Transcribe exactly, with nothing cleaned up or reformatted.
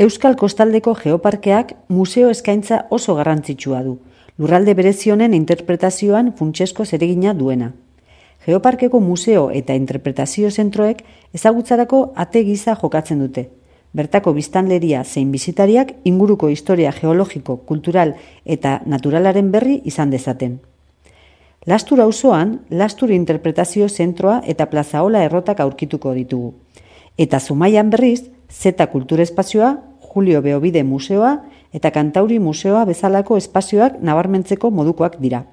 Euskal Kostaldeko Geoparkeak museo eskaintza oso garrantzitsua du, lurralde berezi honen interpretazioan funtsezko zeregina duena. Geoparkeko museo eta interpretazio zentroek ezagutzarako ate gisa jokatzen dute. Bertako biztanleria zein bisitariak inguruko historia geologiko, kultural eta naturalaren berri izan dezaten. Lastur auzoan, Lastur interpretazio zentroa eta Plazaola errotak aurkituko ditugu. Eta Zumaian berriz, Zeta Kulturespazioa, Julio Beobide Museoa eta Kantauri Museoa bezalako espazioak nabarmentzeko modukoak dira.